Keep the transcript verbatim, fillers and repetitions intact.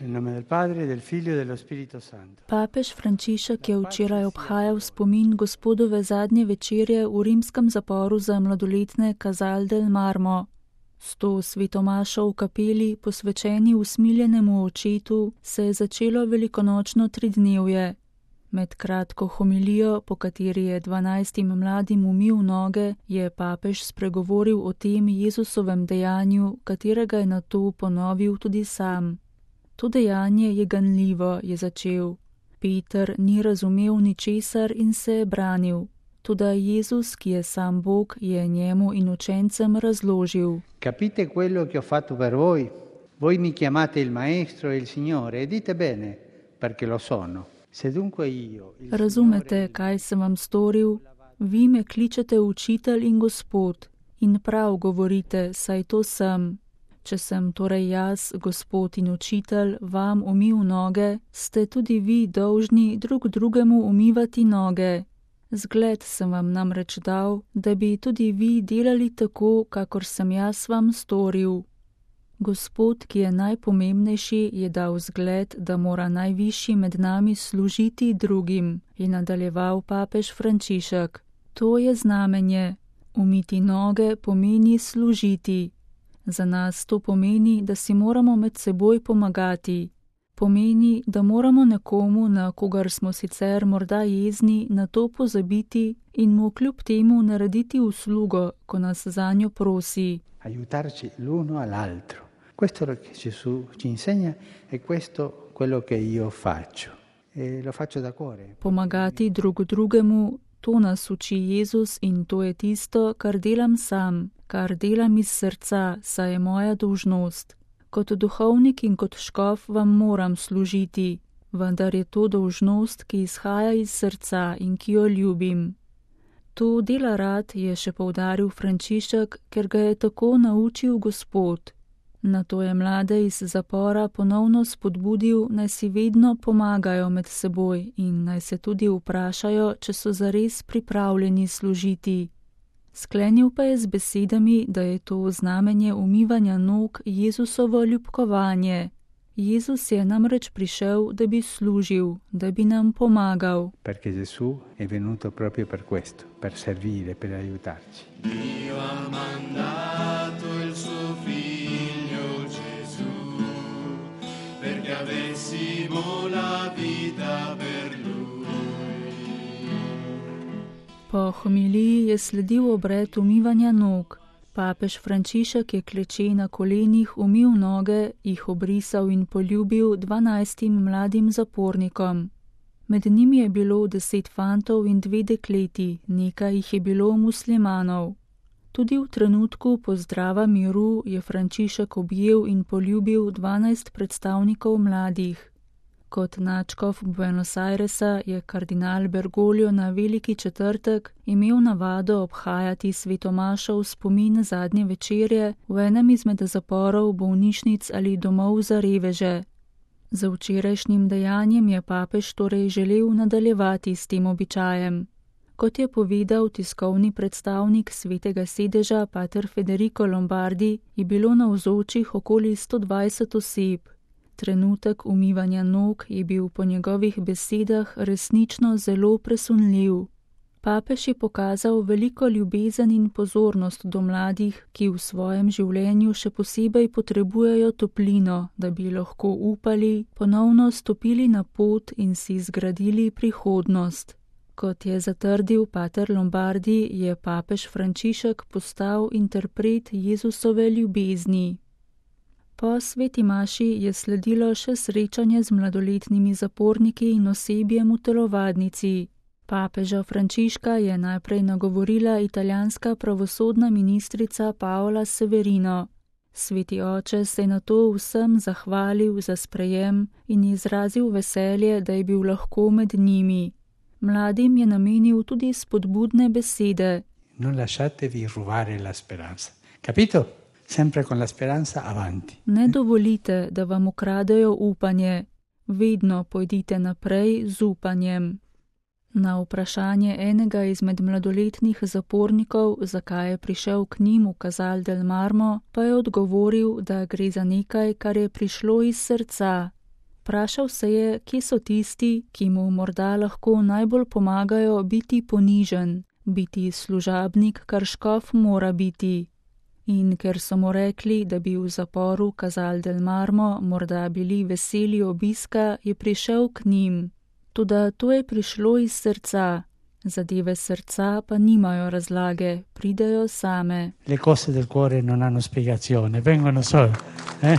Nel nome del Padre, del Figlio e dello Spirito Santo. Papež Frančišek je včeraj obhajal spomin Gospodove zadnje večerje v rimskem zaporu za mladoletne Casal del Marmo. S to svetomašo v kapeli, posvečeni usmiljenemu očetu, se je začelo velikonočno tridnevje. Med kratko homilijo, po kateri je dvanajstim mladim umil noge, je papež spregovoril o tem Jezusovem dejanju, katerega je nato ponovil tudi sam. To dejanje je ganljivo, je začel. Peter ni razumel ničesar in se je branil. Toda Jezus, ki je sam Bog, je njemu in učencem razložil. Capite quello che ho fatto per voi? Voi mi chiamate il Maestro e il Signore e dite bene, perché lo sono. Se dunque io, il Razumete, kaj sem vam storil? Vi me kličete učitelj in Gospod. In prav govorite, saj to sem. Če sem torej jaz, Gospod in učitelj, vam umil noge, ste tudi vi dolžni drug drugemu umivati noge. Zgled sem vam namreč dal, da bi tudi vi delali tako, kakor sem jaz vam storil. Gospod, ki je najpomembnejši, je dal zgled, da mora najvišji med nami služiti drugim, je nadaljeval papež Frančišek. To je znamenje. Umiti noge pomeni služiti. Za nas to pomeni, da si moramo med seboj pomagati. Pomeni, da moramo nekomu, na kogar smo sicer morda jezni, na to pozabiti in mu kljub temu narediti uslugo, ko nas zanjo prosi. Aiutarci l'uno all'altro. Questo è lo che Gesù ci insegna e questo quello che io faccio. E lo faccio da cuore. Pomagati drug drugemu, to nas uči Jezus in to je tisto, kar delam sam, kar delam iz srca, saj je moja dolžnost. Kot duhovnik in kot škof vam moram služiti, vendar je to dolžnost, ki izhaja iz srca in ki jo ljubim. To dela rad, je še poudaril Frančišek, ker ga je tako naučil Gospod. Nato je mlade iz zapora ponovno spodbudil, naj si vedno pomagajo med seboj in naj se tudi vprašajo, če so zares pripravljeni služiti. Sklenil pa je z besedami, da je to znamenje umivanja nog Jezusovo ljubkovanje. Jezus je namreč prišel, da bi služil, da bi nam pomagal. Perché Gesù è venuto proprio per questo, per servire, per aiutarci. Dio ha mandato il suo figlio Gesù, perché avessimo la vita per lui. Po homiliji je sledil obred umivanja nog. Papež Frančišek je kleče na kolenih umil noge, jih obrisal in poljubil dvanajstim mladim zapornikom. Med njimi je bilo deset fantov in dve dekleti, nekaj jih je bilo muslimanov. Tudi v trenutku pozdrava miru je Frančišek objel in poljubil dvanajst predstavnikov mladih. Kot nadškof Buenos Airesa je kardinal Bergoglio na Veliki četrtek imel navado obhajati svetomašo v spomin zadnje večerje v enem izmed zaporov, bolnišnic ali domov za reveže. Za včerajšnjim dejanjem je papež torej želel nadaljevati s tem običajem. Kot je povedal tiskovni predstavnik Svetega sedeža pater Federico Lombardi, je bilo navzočih okoli sto dvajset oseb. Trenutek umivanja nog je bil po njegovih besedah resnično zelo presunljiv. Papež je pokazal veliko ljubezen in pozornost do mladih, ki v svojem življenju še posebej potrebujejo toplino, da bi lahko upali, ponovno stopili na pot in si zgradili prihodnost. Kot je zatrdil pater Lombardi, je papež Frančišek postal interpret Jezusove ljubezni. Po sveti maši je sledilo še srečanje z mladoletnimi zaporniki in osebjem v telovadnici. Papeža Frančiška je najprej nagovorila italijanska pravosodna ministrica Paola Severino. Sveti oče se je nato vsem zahvalil za sprejem in izrazil veselje, da je bil lahko med njimi. Mladim je namenil tudi spodbudne besede. Non lasciatevi rubare la speranza. Capito? Sempre con la speranza avanti. Ne dovolite, da vam ukradejo upanje. Vedno pojdite naprej z upanjem. Na vprašanje enega izmed mladoletnih zapornikov, zakaj je prišel k njim v Casal del Marmo, pa je odgovoril, da gre za nekaj, kar je prišlo iz srca. Vprašal se je, kje so tisti, ki mu morda lahko najbolj pomagajo biti ponižen, biti služabnik, kar škof mora biti. In ker so mu rekli, da bi v zaporu Casal del Marmo morda bili veseli obiska, je prišel k njim. Toda to je prišlo iz srca. Zadeve srca pa nimajo razlage, pridejo same. Le cose del cuore non hanno spiegazione, vengono sole. Eh?